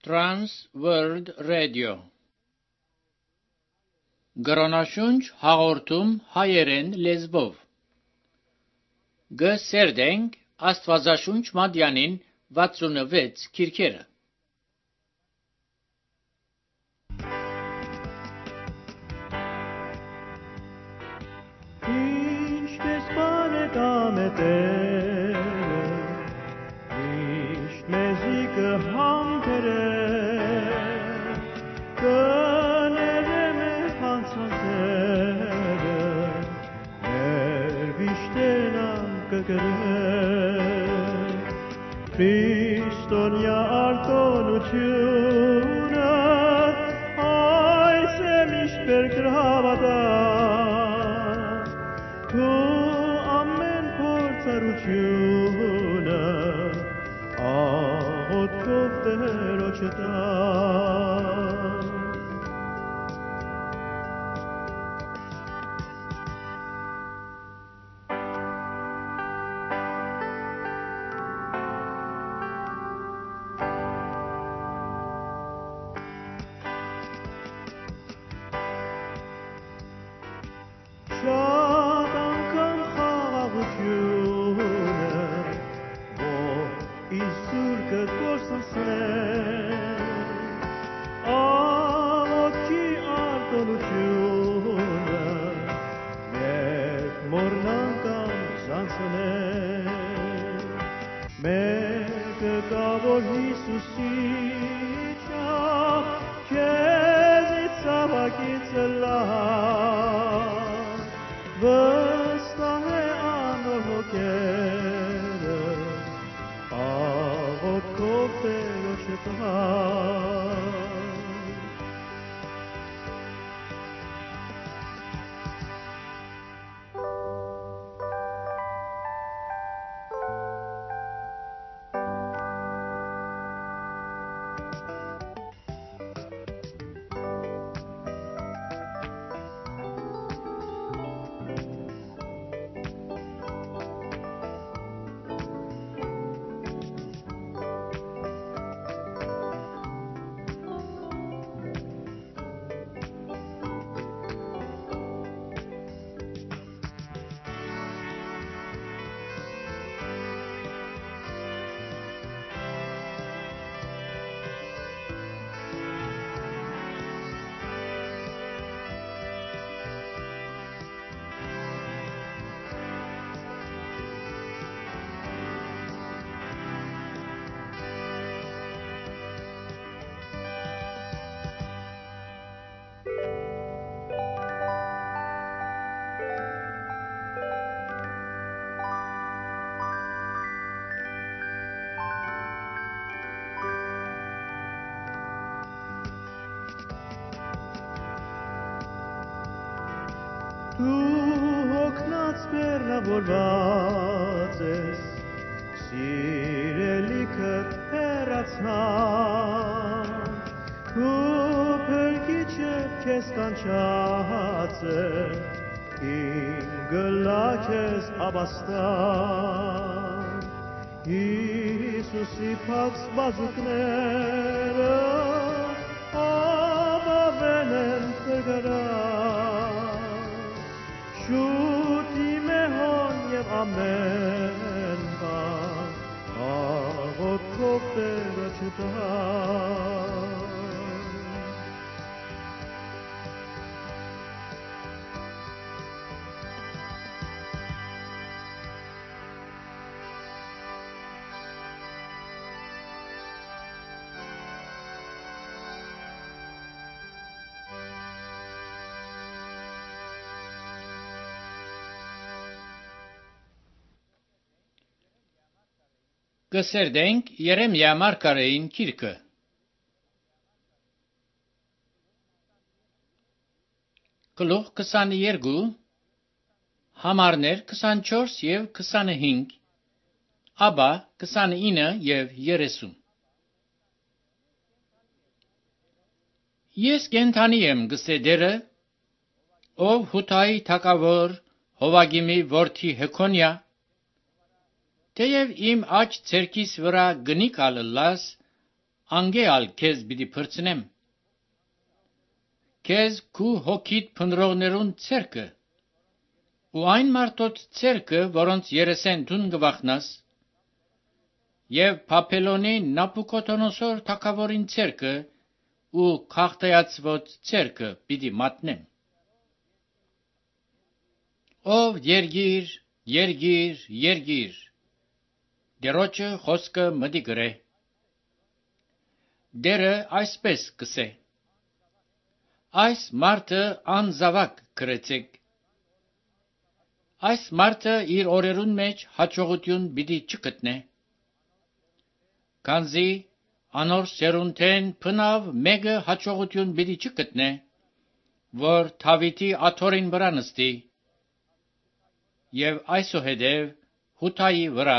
Trans World Radio Գրոնաշունչ հաղորդում հայերեն լեզվով Գսերդենք Աստվածաշունչ Մատյանին 66 քիրքերը Ինչպես բան է կամետերը Միշտ մեզի կհամբերը Կներեմ է հանցանքները Մեր վիշտենան կգրեմ Քրիստոնյա արտոնությունը Այս է միշտ բերգրավատա Քո ամեն փորձառությունը աղոթքով Տերոջը տա Շատ անգամ խաղաղությունը որ Իսուր կկործնցնեն աղոթքի արտոնությունը Երբ մորնան կամ զանցնեն Մեկը կա որ Հիսուսիչա քեզից ցավակից լավ Վստահ է անոր հոգերը աղոթքով Տերոջը տա Դու հոգնած բեռնավորված ես, սիրելիքը հեռացան, քո փրկիչը քեզ կանչած է, իմ գլակ ես ապաստան, Հիսուսի փակ սպասուկները ապավեն են կգրան, Շուտ իմ է հոն և ամեն բան աղոթքով Տերոջը տա Գսերդենք Երեմիա մարգարեին քիրքը Գլուխ 22 Համարներ 24 և 25 Աբա 29 և 30 Ես կենդանի եմ գսեդերը ով Հութայի թագավոր Հովագիմի որդի Հեքոնյա Թեև իմ աջ ցերքիս վրա գնիկ ալլաս, անգեալ քեզ պիտի փրցնեմ։ Քեզ քու հոգիտ փնրողներուն ցերկը, ու այն մարդոց ցերկը, որոնց երեսեն դուն գվախնաս, եւ Փափելոնի Նապուկոդոնոսոր թագավորին ցերկը ու քաղտայացված ցերկը պիտի մատնեմ։ Ով երգիր, երգիր, երգիր, Տերոջը խոսքը մտի գրե։ Դերը այսպես կսե. այս մարդը անզավակ գրեցեք։ Այս մարդը իր օրերուն մեջ հաջողություն պիտի չգտնե։ Քանզի անոր սերունդեն փնավ մեկը հաջողություն պիտի չգտնե, որ Դավիթի աթոռին վրա նստի, եւ այսուհետև Հութայի վրա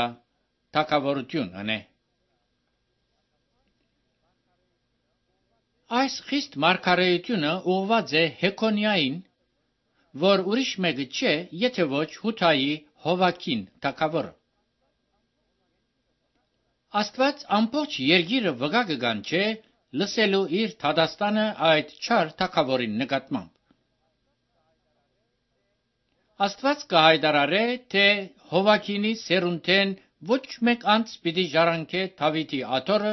թագավորություն անե։ Այս խիստ մարգարեությունը ուղղված է Հեքոնիային, որ ուրիշ մեկը չէ, եթե ոչ Հութայի Հովակին թագավորը։ Աստված ամբողջ երգիրը վգա կգանչե լսելու իր թադաստանը այդ չար թագավորին նկատմամբ։ Աստված կհայտարարե, թե Հովակինի սերունդեն ոչ մեկ անց պիտի ժառանգե Դավիթի աթոռը,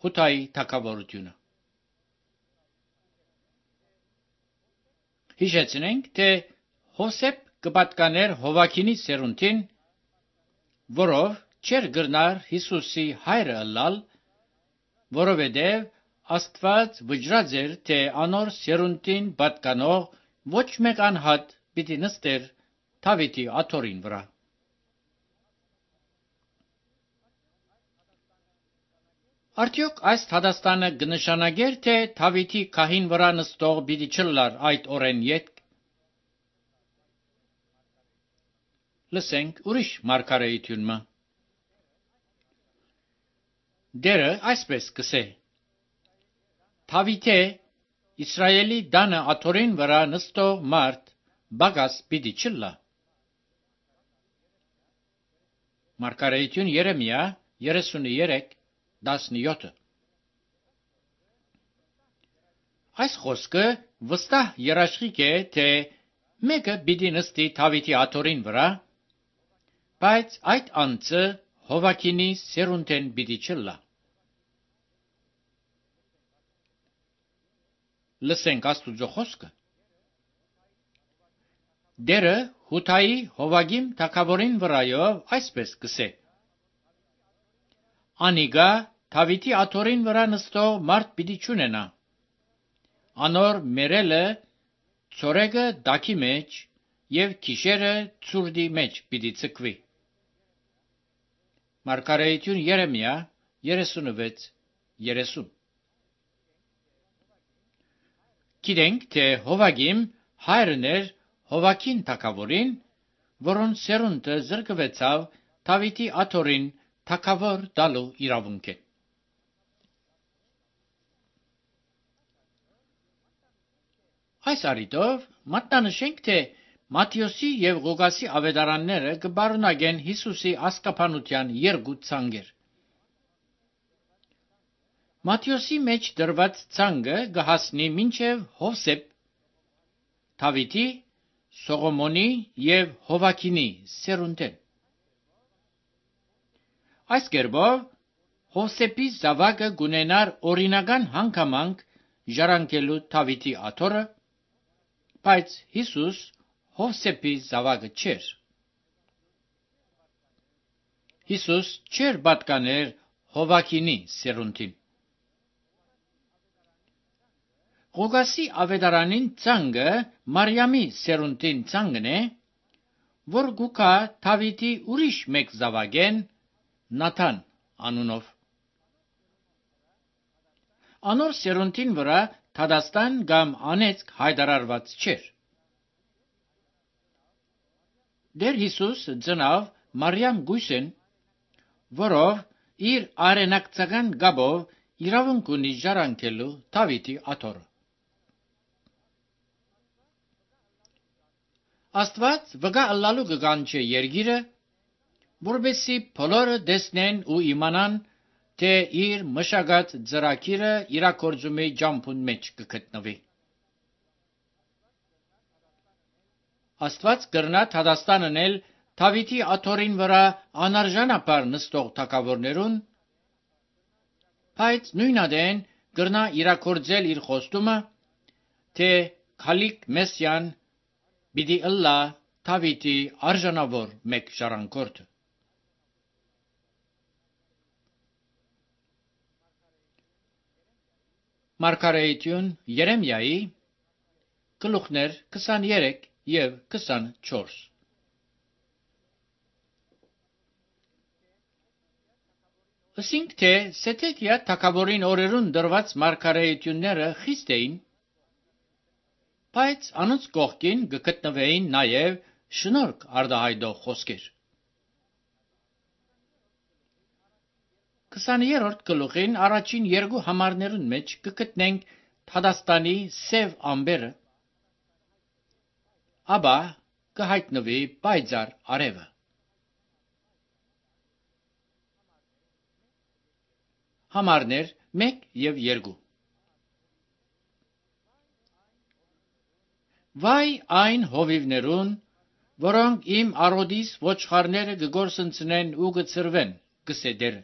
Հութայի թագավորությունը։ Հիշեցնենք, թե Հովսեփ կպատկաներ Հովակինի սերունդին, որով չեր գրնար Հիսուսի հայրը ըլլալ, որովհետև Աստված վճռած էր, թե անոր սերունդին պատկանող ոչ մեկ անհատ պիտի նստեր Դավիթի աթոռին վրա։ Արդյոք այս թադաստանը կնշանակեր, թե Դավիթի քահին վրա նստող պիտի չլար այդ օրեն ետք։ Լսենք ուրիշ մարգարեությունը։ Դերը այսպես կսե. Դավիթե Իսրայելի դանը աթոռին վրա նստող մարդ բագաս պիտի չլա։ Մարգարեություն Երեմիա 33:17։ Այս խոսքը վստահ երաշխիք է, թե մեկը պիտի նստի Դավիթի աթոռին վրա, բայց այդ անձը Հովակինի սերունդեն պիտի չլա։ Լսենք Աստուծո խոսքը։ Դերը Հութայի Հովագիմ թագավորին վրայով այսպես կսե. Անիգա Դավիթի աթոռին վրա նստող մարդ պիտի չունենա, անոր մերելը ցորեգը դակի մեջ եւ քիշերը ցուրդի մեջ պիտի ցկվի։ Մարգարեություն Երեմիա 36:30։ Գիտենք, թե Հովագիմ հայրն էր Հովակին թագավորին, որոն սերունդը զրկվեցավ Դավիթի աթոռին թագավոր դալու իրավունքեն։ Այս առիթով մատնանշենք, թե Մատթեոսի եւ Ղուկասի ավետարանները կբարունագեն Հիսուսի ասկապանության երկու ցանկեր։ Մատթեոսի մեջ դրված ցանկը կհասնի մինչև Հովսեփ, Դավիթի, Սողոմոնի եւ Հովակինի սերունդեն։ Այս կերպով Հովսեփի զավակը գունենար օրինական հանգամանք ժառանգելու Դավիթի աթոռը, բայց Հիսուս Հովսեփի զավակը չէր։ Հիսուս չէր պատկաներ Հովակինի սերունդին։ Ղուկասի ավետարանին ցանկը Մարիամի սերունդին ցանկն է, որ գուկա Դավիթի ուրիշ մեկ զավակեն Նաթան անունով։ Անոր սերունդին վրա թադաստան կամ անեծք հայտարարված չէր։ Դեր Հիսուս ծնավ Մարիամ գույսեն, որով իր արենակցական գաբով իրավունք ունի ժառանգելու Դավիթի աթոռը։ Աստված վգա ըլլալու կգանչե երգիրը, որբեսի բոլորը տեսնեն ու իմանան, թե իր մշակած ծրագիրը իրագործումի ջամփուն մեջ կգտնվի։ Աստված կրնա Թադաստան անել Դավիթի աթոռին վրա անարժանապար նստող թագավորներուն, բայց նույնադեն կրնա իրագործել իր խոստումը, թե Քալիք Մեսիան պիտի ըլլա Դավիթի արժանավոր մեկ ժառանգորդը։ Մարգարեություն Երեմիայի գլուխներ 23 և 24։ Ասինք թե Սեդեկիա թագավորին օրերուն դրված մարգարեությունները խիստ էին, բայց անոնց կողքին կգտնվեին նաև շնորհք արտահայտող խոսքեր։ 20-րդ գլուխին առաջին երկու համարներուն մեջ կգտնենք Թադաստանի սև ամբերը, ապա կհայտնվի պայծառ արևը։ Համարներ 1 և 2։ Վայ այն հովիվներուն, որոնք իմ առօդիս ոչխարները կգործընծնեն ու կծրվեն, գսե Տերը։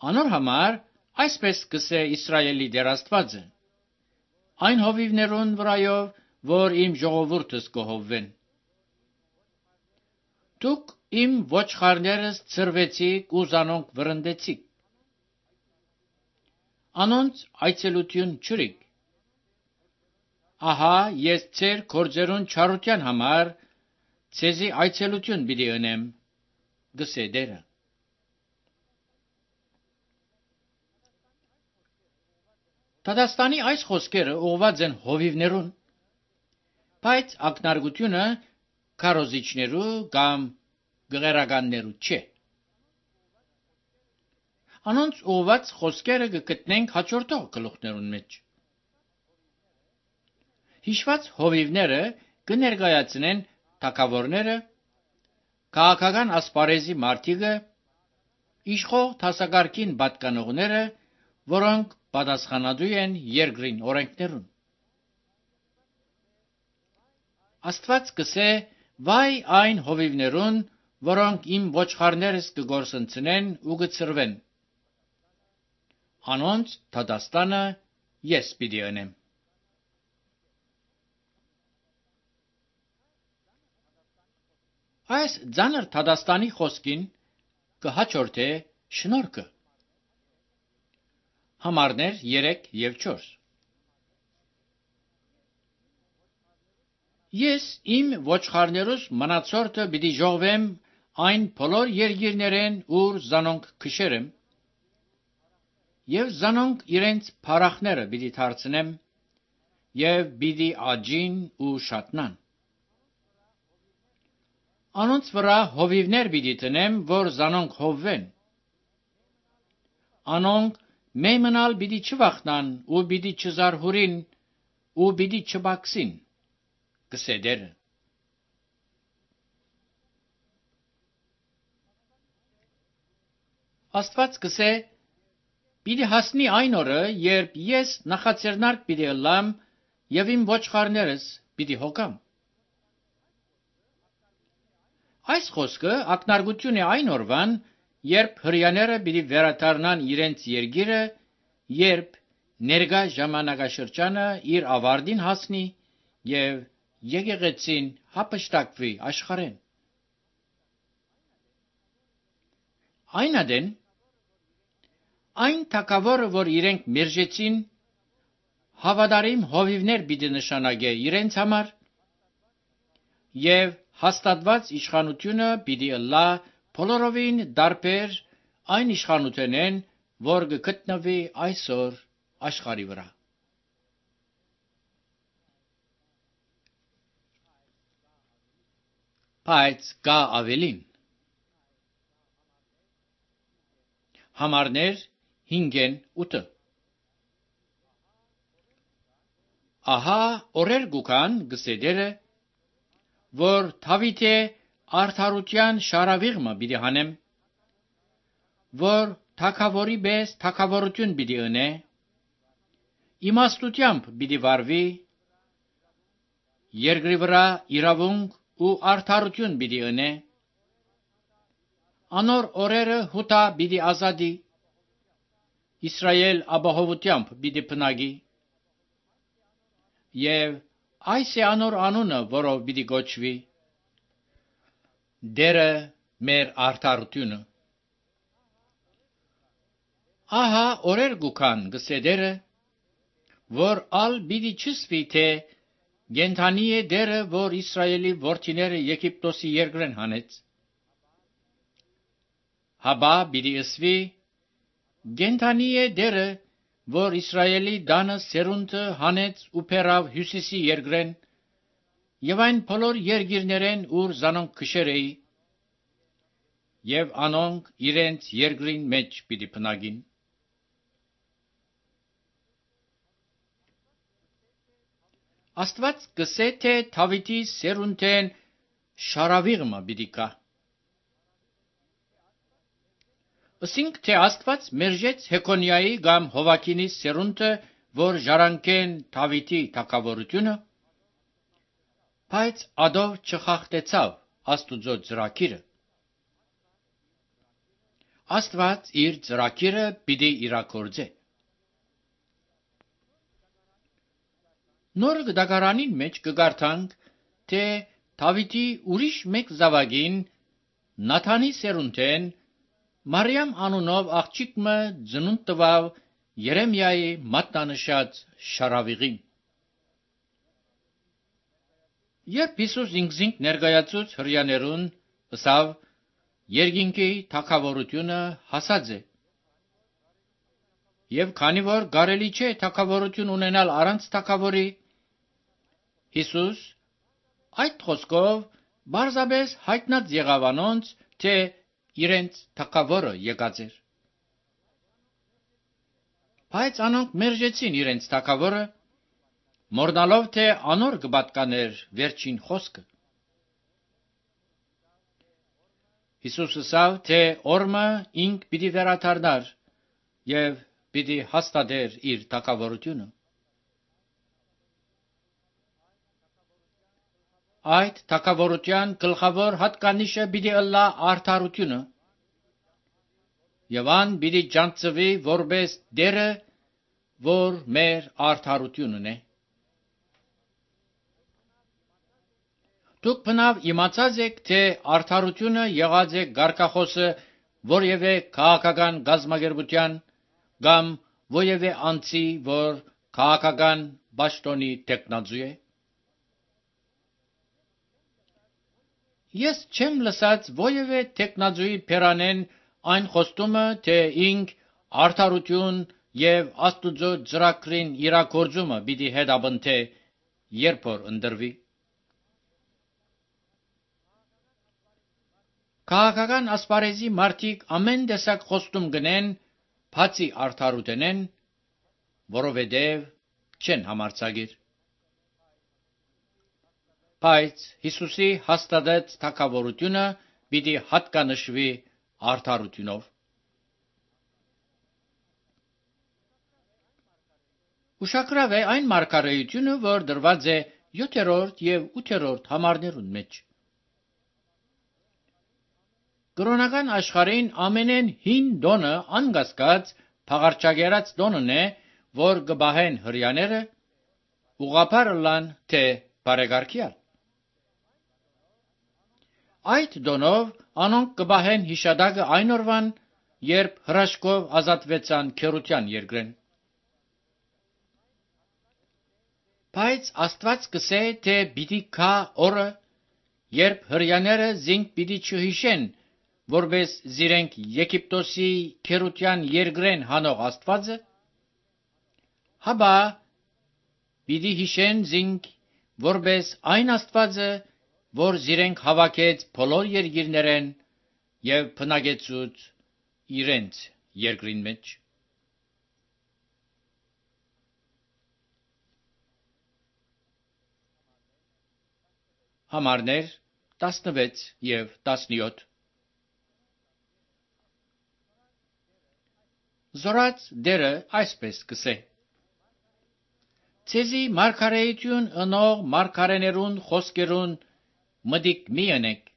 Անոր համար այսպես գսե Իսրայելի Տեր Աստվածը. այն հովիվներուն վրայով, որ իմ ժողովուրդս կհովվեն։ Դուք իմ ոչխարներս ծրվեցիք ու զանոնք վրընդեցիք։ Անոնց այցելություն չրիք։ Ահա ես ձեր գործերուն չարության համար ձեզի այցելություն պիտի ընեմ, գսե Տերը։ Թադաստանի այս խոսքերը ուղղված են հովիվներուն, բայց ակնարկությունը քարոզիչներու կամ գղերականներու չէ։ Անոնց ուղղված խոսքերը կգտնենք հաջորդող գլուխներուն մեջ։ Հիշված հովիվները կներկայացնեն թագավորները, քաղաքական ասպարեզի մարդիկը, իշխող դասակարգին պատկանողները, որոնք պատասխանատու են երկրին օրենքներուն։ Աստված կսե վայ այն հովիվներուն, որոնք իմ ոչխարներս կգործընծնեն ու կծրվեն։ Անոնց Թադաստանը ես պիտի ընեմ։ Այս ծանր Թադաստանի խոսքին կհաջորդե շնորհքը։ Համարներ 3 և 4։ Ես իմ ոչխարներուս մնացորդը պիտի ժողվեմ այն բոլոր երկիրներեն, ուր զանոնք քշերեմ, և զանոնք իրենց փարախները պիտի դարձնեմ, և պիտի աճին ու շատնան։ Անոնց վրա հովիվներ պիտի տնեմ, որ զանոնք հովվեն։ Անոնք մեյմնալ պիտի չվախնան ու պիտի չզարհուրին ու պիտի չբաքսին, գսե Տերը։ Աստված գսե. պիտի հասնի այն օրը, երբ ես նախաձեռնարկ պիտի ըլլամ և իմ ոչխարներս պիտի հոգամ։ Այս խոսքը ակնարկություն է այն օրվան, երբ հրեաները պիտի վերադառնան իրենց երկիրը, երբ ներկա ժամանակաշրջանը իր ավարտին հասնի և եկեղեցին հափշտակվի աշխարհեն։ Այնադեն այն թագավորը, որ իրենք մերժեցին, հավատարիմ հովիվներ պիտի նշանակե իրենց համար, և հաստատված իշխանությունը պիտի ըլլա բոլորովին տարբեր այն իշխանութենեն, որ կգտնվի այսօր աշխարհի վրա։ Բայց կա ավելին։ Համարներ 5-8։ Ահա օրեր կգան, գսե Տերը, որ Դավիթի արդարության շարավիղմը պիտի հանեմ, որ թագավորի պես թագավորություն պիտի ունե, իմաստությամբ պիտի վարվի, երկրի վրա իրավունք ու արդարություն պիտի ունե, անոր օրերը հութա պիտի ազատի, Իսրայել ապահովությամբ պիտի բնակի, եւ այս է անոր անունը, որով պիտի գոչվի, Դերը մեր արդարությունը։ Ահա օրեր գուքան գսեդերը, որ ալ պիտի չսվի, թե գենթանի է դերը, որ Իսրայելի որդիները Եգիպտոսի երկրեն հանեց, հաբա պիտի ըսվի, գենթանի է դերը, որ Իսրայելի դանը սերունդը հանեց ու փերավ հյուսիսի երկրեն, եւ այն բոլոր երկիրներեն, ուր զանոնք քշեր էի, եւ անոնք իրենց երկրին մեջ պիտի բնակին։ Աստված գսե, թե Դավիթի սերունդեն շարավիղմը պիտի կա։ Ասինք, թե Աստված մերժեց Հեկոնիայի կամ Հովակինի սերունդը, որ ժառանգեն Դավիթի թագավորությունը, բայց ադով չխախտեցավ Աստուծո ծրագիրը։ Աստված իր ծրագիրը պիտի իրագործե։ Նոր գդակարանին մեջ կգարթանք, թե Դավիթի ուրիշ մեկ զավակին, Նաթանի սերունդեն, Մարիամ անունով աղջիկը ծնունդ տվավ Երեմիայի մատնանշած շարավիղին։ Երբ Հիսուս ինքզինք ներկայացուց հրյաներուն, ըսավ, երկինքի թագավորությունը հասած է։ Եվ քանի որ կարելի չէ թագավորություն ունենալ առանց թագավորի, Հիսուս այդ խոսքով բարձաբես հայտնած եղավ անոնց, թե իրենց թագավորը եկած էր։ Բայց անոնք մերժեցին իրենց թագավորը, մորնալով, թե անոր կպատկաներ վերջին խոսքը։ Հիսուս ասավ, թե օրը ինք պիտի վերադառնար եւ պիտի հաստատեր իր թագավորությունը։ Այդ թագավորության գլխավոր հատկանիշը պիտի ըլլա արդարությունը, եւ ան պիտի ջանցվի որպես դերը, որ մեր արդարությունն է։ Դուք բնավ իմացած եք, թե արդարությունը եղած է գարկախոսը որևէ քաղաքական գազագերբության կամ որևէ անձի, որ քաղաքական պաշտոնի տեխնազու է։ Ես չեմ լսած որևէ տեխնազուի փերանեն այն խոստումը, թե ինք արդարություն եւ Աստուծո ծրագրին իրագործումը պիտի հետապնդե, երբ որ ընտրվի։ Քաղաքական ասպարեզի մարդիկ ամեն տեսակ խոստում գնեն, բացի արդարութենեն, որովհետև չեն համարձակիր։ Բայց Հիսուսի հաստատած թագավորությունը պիտի հատկանշվի արդարությունով։ Ուշագրավ է այն մարգարեությունը, որ դրված է 7-րդ եւ 8-րդ համարներուն մեջ։ Կրոնական աշխարհին ամենեն հին դոնը անկասկած փաղարչագերած դոնն է, որ կբահեն հրյաները, ուղղափառ լան թե բարեկարգյալ։ Այդ դոնով անոնք կբահեն հիշադակը այն օրվան, երբ հրաշքով ազատվեցան քերության երկրեն։ Բայց Աստված կսե, թե պիտի գա օրը, երբ հրյաները զինք պիտի չհիշեն, որպես զիրենք Եգիպտոսի քերության երկրեն հանող Աստվածը, հաբա պիտի հիշեն զինք, որպես այն Աստվածը, որ զիրենք հավաքեց բոլոր երկիրներեն եւ բնակեցուց իրենց երկրին մեջ։ Համարներ 16 եւ 17 Զորած դերը այսպես կսե. Ցեզի մարգարեություն ընող մարգարեներուն խոսքերուն մտիկ մի ընեք,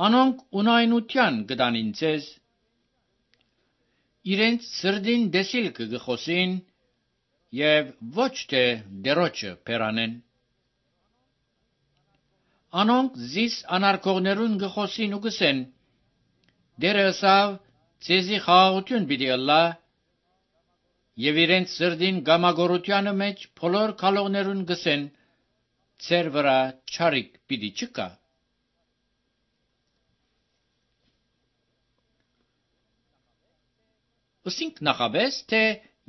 անոնք ունայնության գտանին ցեզ, իրենց սրդին դեսիլքը գխոսին և ոչ թե դերոջը պերանեն, անոնք զիս անարգողներուն գխոսին ու գսեն, դերը ըսավ ցեզի խաղաղություն պիտի ըլլա, և իրենց սրդին գամագորությանը մեջ բոլոր քալողներուն գսեն, ցեր վրա չարիք պիտի չկա։ Ըսինք նախաբես, թե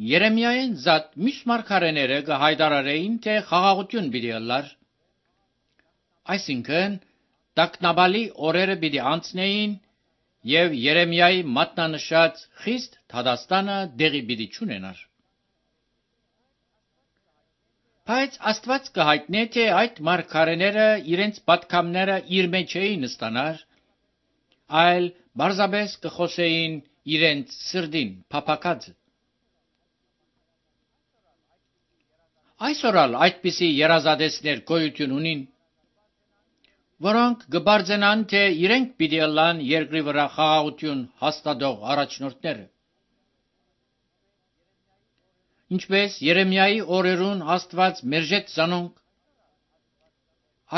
Երեմիային զատ մյուս մարգարեները կհայտարարեին, թե խաղաղություն պիտի ըլլար, այսինքն տագնապալի օրերը պիտի անցնեին և Երեմիայի մատնանշած խիստ դատաստանը դեղի պիտի չունենար։ Բայց Աստված կհայտնե, թե այդ մարգարեները իրենց պատգամները իր մեջ էին ստանար, այլ պարզապես կխոսեին իրենց սրդին փափագածը։ Այսօր ալ այդպիսի երազադեսներ գոյություն ունին, որոնք կբարձենան, թե իրենք պիտի ըլլան երկրի վրա խաղաղություն հաստատող առաջնորդները։ Ինչպես Երեմիայի օրերուն Աստված մերժեց զանոնք,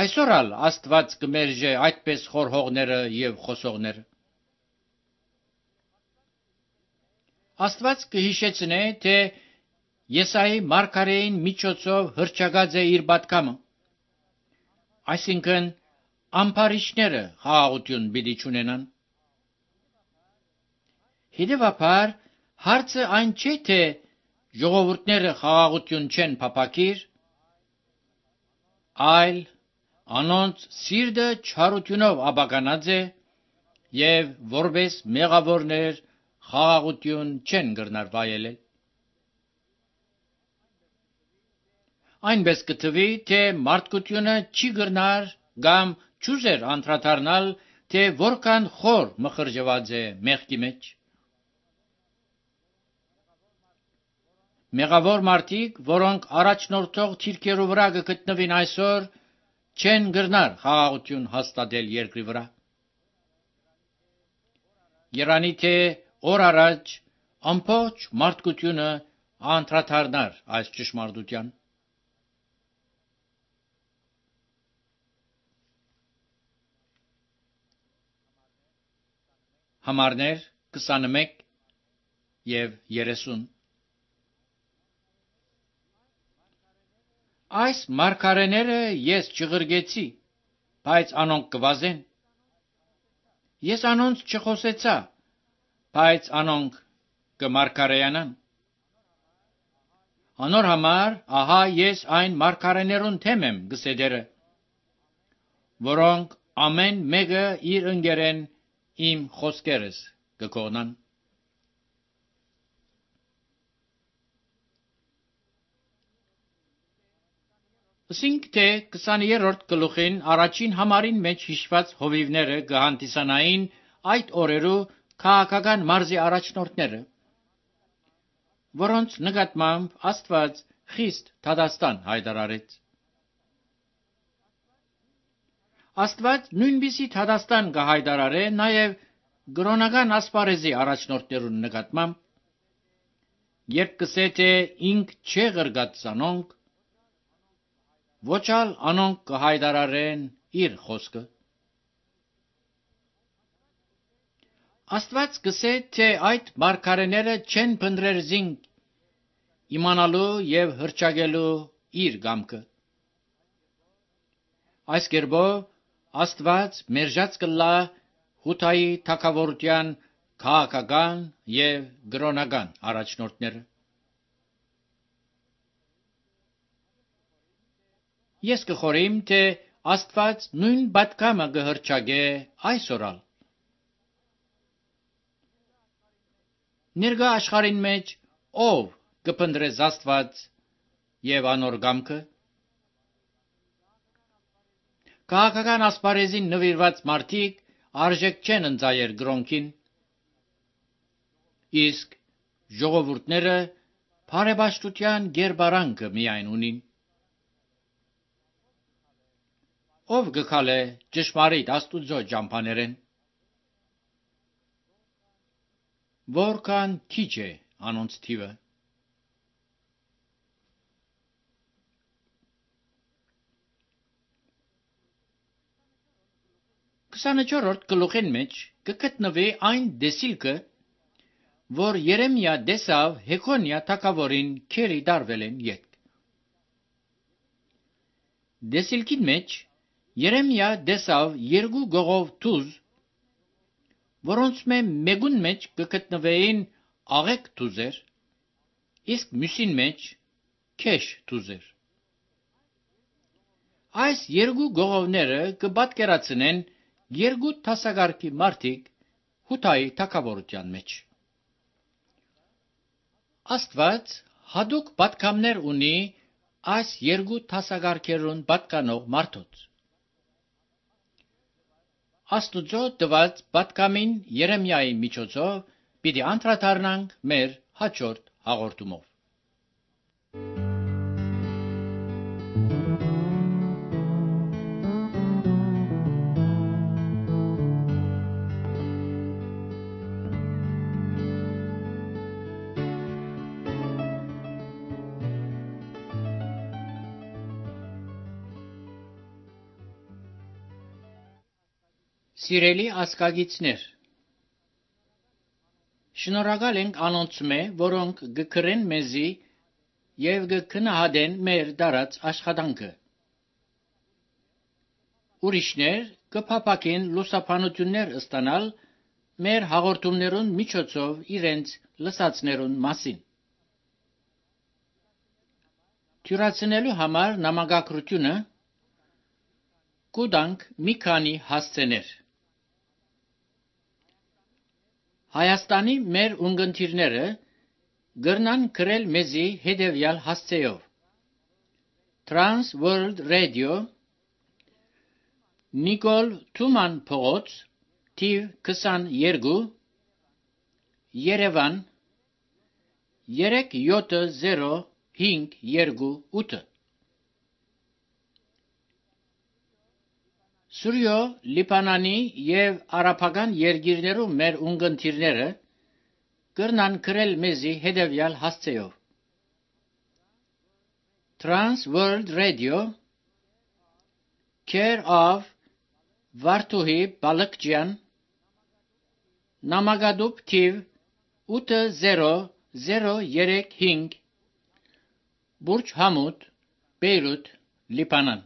այսօր ալ Աստված կմերժե այդպես խորհողները և խոսողները։ Աստված կհիշեցնե, թե Եսայի մարգարեին միջոցով հռչակած է իր պատգամը, այսինքն ամբարիշները խաղաղություն պիտի չունենան։ Հետևաբար հարցը այն չէ, թե ժողովուրդները խաղաղություն չեն փափագիր, այլ անոնց սիրտը չարությունով աբականած է և որպես մեղավորներ խաղաղություն չեն գրնար վայելել։ Այնպես կթվի, թե մարդկությունը չի գրնար կամ չուզեր անդրադառնալ, թե որքան խոր մխրճված է մեղքի մեջ։ Մեղավոր մարդիկ, որոնք առաջնորդող թիրքերու վրա կգտնվին այսօր, չեն գրնար խաղաղություն հաստատել երկրի վրա։ Երանի թե օր առաջ ամբողջ մարդկությունը անդրադառնար այս ճշմարտության։ Համարներ 21 և 30 Այս մարգարեները ես չղրգեցի, բայց անոնք կվազեն։ Ես անոնց չխոսեցա, բայց անոնք կմարգարեյանան։ Անոր համար, ահա ես այն մարգարեներուն թեմ եմ, գսե դերը, որոնք ամեն մեկը իր ընկերեն իմ խոսքերս կկողնան։ Ասինք, թե 20-րդ գլուխին առաջին համարին մեջ հիշված հովիվները կհանդիսանային այդ օրերու քաղաքական մարզի առաջնորդները, որոնց նկատմամբ Աստված խիստ դատաստան հայտարարեց։ Աստված նույնպիսի դատաստան կհայտարարե նաև կրոնական ասպարեզի առաջնորդներուն նկատմամբ, երբ կսե, թե ինք չէ ղրգած զանոնք, ոչ ալ անոնք կհայտարարեն իր խոսքը։ Աստված կսե, թե այդ մարգարեները չեն փնտրեր զինք իմանալու և հռչակելու իր կամքը։ Այս կերպով Աստված մերժած կլա Հութայի թագավորության քաղաքական և կրոնական առաջնորդները։ Ես կխորհեմ, թե Աստված նույն պատգամը կհռչակե այսօր ալ։ Ներկա աշխարհին մեջ ով կփնտրես Աստված և անոր կամքը։ Քաղաքական ասպարեզին նվիրված մարդիկ արժեք չեն ընծայեր կրոնքին։ իսկ ժողովուրդները բարեպաշտության գերբարանքը միայն ունին։ Ով գքալե ճշմարիտ Աստուծո ճամփաներեն, որքան քիչ է անոնց թիվը։ 24-րդ գլուխին մեջ կգտնվի այն դեսիլքը, որ Երեմիա դեսավ Հեքոնիա թագավորին քերի դարվել են յետք։ Դեսիլքին մեջ Երեմիա դեսավ երկու գողով թուզ, որոնց մեկուն մեջ կգտնվեին աղեկ թուզեր, իսկ մյուսին մեջ քեշ թուզեր։ Այս երկու գողովները կպատկերացնեն երկու տասագարքի մարդիկ Հութայի թագավորության մեջ։ Աստված հատուկ պատգամներ ունի այս երկու տասագարքերուն պատկանող մարդոց։ Աստուծո տված պատգամին Երեմիայի միջոցով պիտի անդրադառնանք մեր հաջորդ հաղորդումով։ Սիրելի ասկագիցներ, շնորհակալ ենք անոնցմե, որոնք գկրեն մեզի եւ գքնահատեն մեր դարած աշխատանքը։ Ուրիշներ կփապակեն լուսաբանություններ ստանալ մեր հաղորդումներուն միջոցով իրենց լսածներուն մասին։ Թյուրացնելու համար նամակագրությունը կուտանք մի քանի հասցեներ։ Հայաստանի մեր ունգընտիրները գրնան գրել մեզի հետևյալ հասցեով. Trans World Radio, Նիկոլ Թուման փողոց, թիվ 22, Երևան 37058։ Սուրյո Լիբանանի եւ արաբական երկիրներում մեր ունգընտիրները գրնան գրել մեզի հետևյալ հասցեով. Trans World Radio, Care of Վարդուհի Բալկջյան, Նամակադուբ թիվ 80035, Բուրջ Համուդ, Բեյրութ, Լիբանան։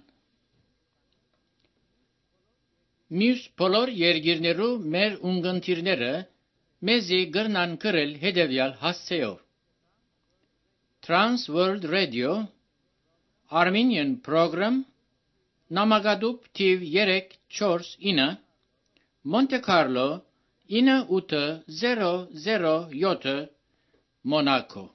Մյուս բոլոր երկիրներու մեր ունգընտիրները մեզի գրնան գրել հետևյալ հասցեով. Trans World Radio, Armenian Program, Նամակադուբ թիվ 349, Monte Carlo 9807, Monaco։